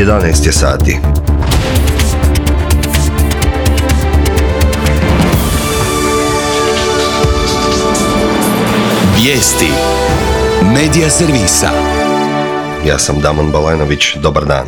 11 je sati. Vijesti Medija servisa. Ja sam Damon Balenović, dobar dan.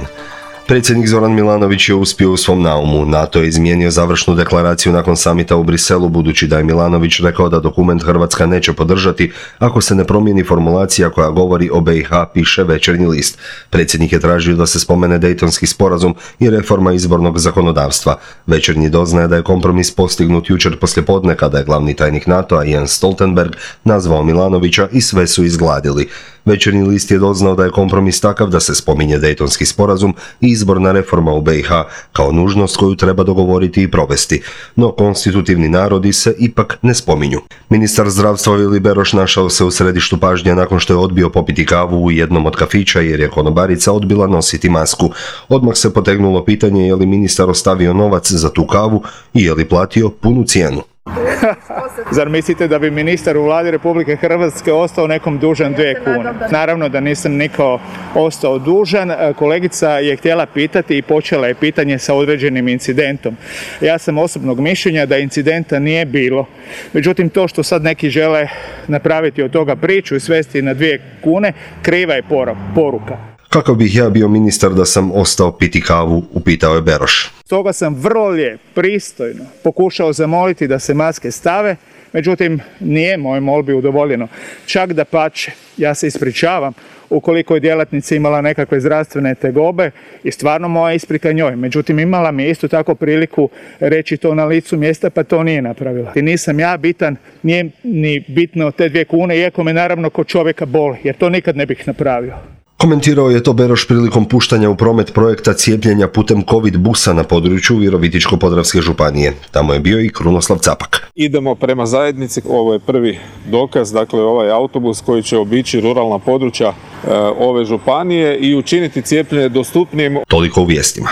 Predsjednik Zoran Milanović je uspio u svom naumu. NATO je izmijenio završnu deklaraciju nakon samita u Briselu, budući da je Milanović rekao da dokument Hrvatska neće podržati ako se ne promijeni formulacija koja govori o BiH, piše Večernji list. Predsjednik je tražio da se spomene Dejtonski sporazum i reforma izbornog zakonodavstva. Večernji doznaje da je kompromis postignut jučer poslijepodne kada je glavni tajnik NATO-a Jens Stoltenberg nazvao Milanovića i sve su izgladili. Večernji list je doznao da je kompromis takav da se spominje Dejtonski sporazum i izborna reforma u BiH kao nužnost koju treba dogovoriti i provesti, no konstitutivni narodi se ipak ne spominju. Ministar zdravstva Vili Beroš našao se u središtu pažnje nakon što je odbio popiti kavu u jednom od kafića jer je konobarica odbila nositi masku. Odmah se potegnulo pitanje je li ministar ostavio novac za tu kavu i je li platio punu cijenu. Zar mislite da bi ministar u vladi Republike Hrvatske ostao nekom dužan 2 kune? Naravno da nisam niko ostao dužan. Kolegica je htjela pitati i počela je pitanje sa određenim incidentom. Ja sam osobnog mišljenja da incidenta nije bilo. Međutim, to što sad neki žele napraviti od toga priču i svesti na 2 kune, kriva je poruka. Kako bih ja bio ministar da sam ostao piti kavu, upitao je Beroš. Stoga sam vrlo lijep, pristojno pokušao zamoliti da se maske stave, međutim nije moj molbi udovoljeno. Čak dapače, ja se ispričavam ukoliko je djelatnica imala nekakve zdravstvene tegobe i stvarno moja isprika njoj. Međutim, imala mi je isto tako priliku reći to na licu mjesta, pa to nije napravila. I nisam ja bitan, nije ni bitno te 2 kune, iako me naravno kod čovjeka boli, jer to nikad ne bih napravio. Komentirao je to Beroš prilikom puštanja u promet projekta cijepljenja putem COVID busa na području Virovitičko-podravske županije. Tamo je bio i Krunoslav Capak. Idemo prema zajednici, ovo je prvi dokaz, dakle ovaj autobus koji će obići ruralna područja ove županije i učiniti cijepljenje dostupnijim. Toliko u vijestima.